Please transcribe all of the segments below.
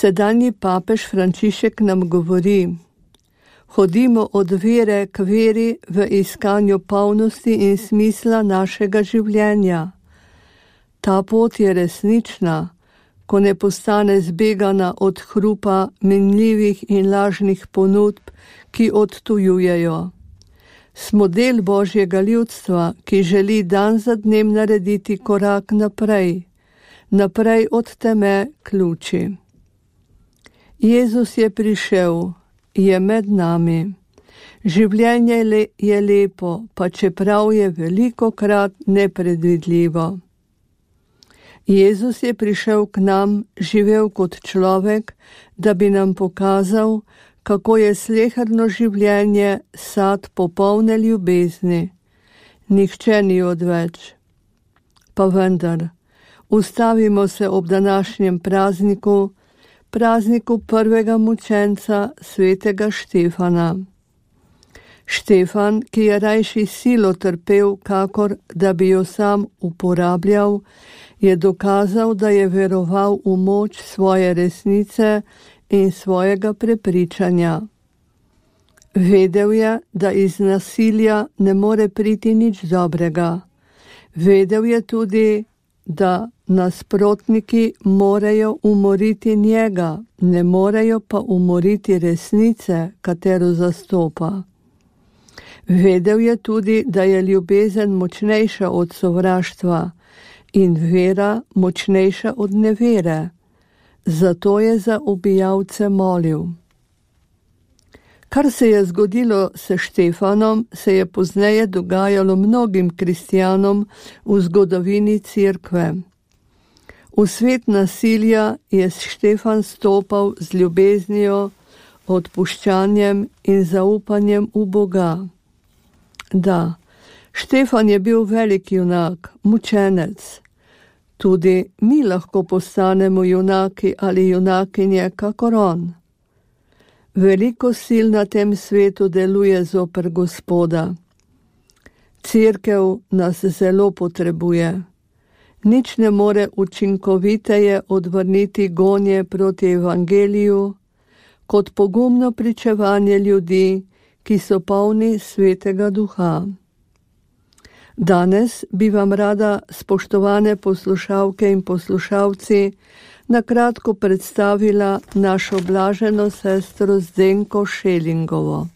Sedanji papež Frančišek nam govori: hodimo od vere k veri v iskanju polnosti in smisla našega življenja. Ta pot je resnična, ko ne postane zbegana od hrupa minljivih in lažnih ponudb, ki odtujujejo. Smo del Božjega ljudstva, ki želi dan za dnem narediti korak naprej, naprej od teme k luči. Jezus je prišel, je med nami. Življenje je lepo, pa čeprav je velikokrat nepredvidljivo. Jezus je prišel k nam, živel kot človek, da bi nam pokazal, kako je sleherno življenje sad popolne ljubezni. Nihče ni odveč. Pa vendar, ustavimo se ob današnjem prazniku, prazniku prvega mučenca svetega Štefana. Štefan, ki je rajši silo trpel, kakor da bi jo sam uporabljal, je dokazal, da je veroval v moč svoje resnice in svojega prepričanja. Vedel je, da iz nasilja ne more priti nič dobrega. Vedel je tudi, da nasprotniki morejo umoriti njega, ne morejo pa umoriti resnice, katero zastopa. Vedel je tudi, da je ljubezen močnejša od sovraštva in vera močnejša od nevere. Zato je za ubijalce molil. Kar se je zgodilo s Štefanom, se je pozneje dogajalo mnogim kristjanom v zgodovini Cerkve. V svet nasilja je Štefan stopal z ljubeznijo, odpuščanjem in zaupanjem v Boga. Da, Štefan je bil velik junak, mučenec. Tudi mi lahko postanemo junaki ali junakinje kakor on. Veliko sil na tem svetu deluje zoper Gospoda. Cerkev nas zelo potrebuje. Nič ne more učinkoviteje odvrniti gonje proti evangeliju, kot pogumno pričevanje ljudi, ki so polni Svetega Duha. Danes bi vam rada, spoštovane poslušalke in poslušalci, na kratko predstavila našo blaženo sestro Zdenko Šelingovo.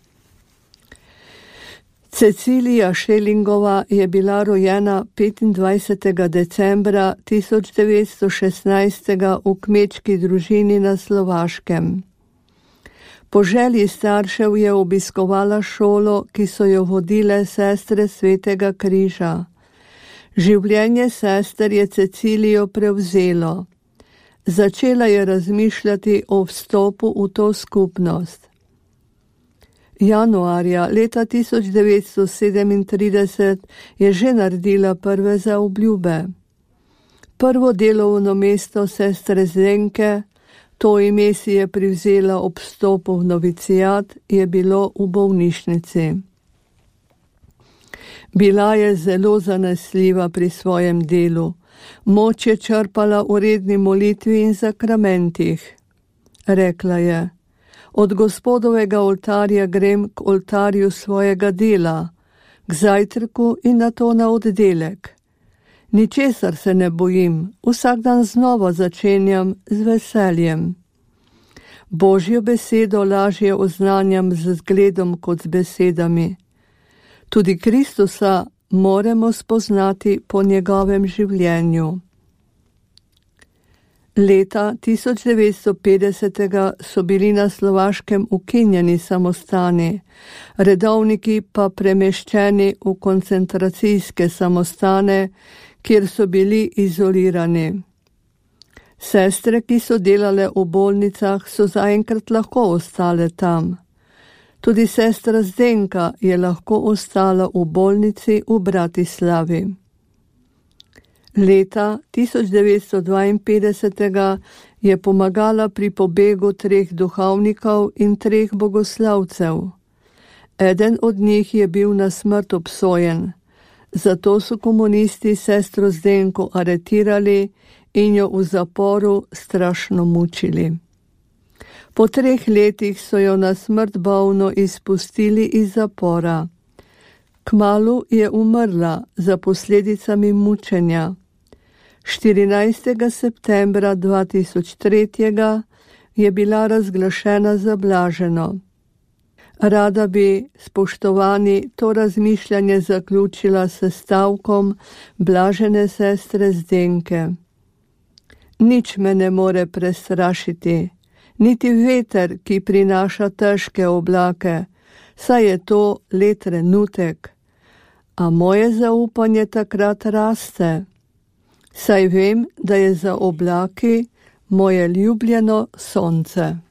Cecilija Šelingova je bila rojena 25. decembra 1916. v kmečki družini na Slovaškem. Po želji staršev je obiskovala šolo, ki so jo vodile sestre Svetega križa. Življenje sester je Cecilijo prevzelo. Začela je razmišljati o vstopu v to skupnost. Januarja leta 1937 je že naredila prve zaobljube. Prvo delovno mesto sestre Zdenke, to ime si je privzela ob vstopu v novicijat, je bilo v bolnišnici. Bila je zelo zanesljiva pri svojem delu. Moč je črpala v redni molitvi in zakramentih. Rekla je: od Gospodovega oltarja grem k oltarju svojega dela, k zajtrku in nato na oddelek. Ničesar se ne bojim, vsak dan znova začenjam z veseljem. Božjo besedo lažje oznanjam z zgledom kot z besedami. Tudi Kristusa moramo spoznati po njegovem življenju. Leta 1950 so bili na Slovaškem ukinjeni samostani, redovniki pa premeščeni v koncentracijske samostane, kjer so bili izolirani. Sestre, ki so delale v bolnicah, so zaenkrat lahko ostale tam. Tudi sestra Zdenka je lahko ostala v bolnici v Bratislavi. Leta 1952 je pomagala pri pobegu 3 duhovnikov in 3 bogoslavcev. Eden od njih je bil na smrt obsojen, zato so komunisti sestro Zdenko aretirali in jo v zaporu strašno mučili. Po 3 letih so jo na smrt bolno izpustili iz zapora. Kmalu je umrla za posledicami mučenja. 14. septembra 2003 je bila razglašena za blaženo. Rada bi, spoštovani, to razmišljanje zaključila s stavkom blažene sestre Zdenke. Nič me ne more prestrašiti, niti veter, ki prinaša težke oblake, saj je to le trenutek, a moje zaupanje takrat raste, saj vem, da je za oblaki moje ljubljeno sonce.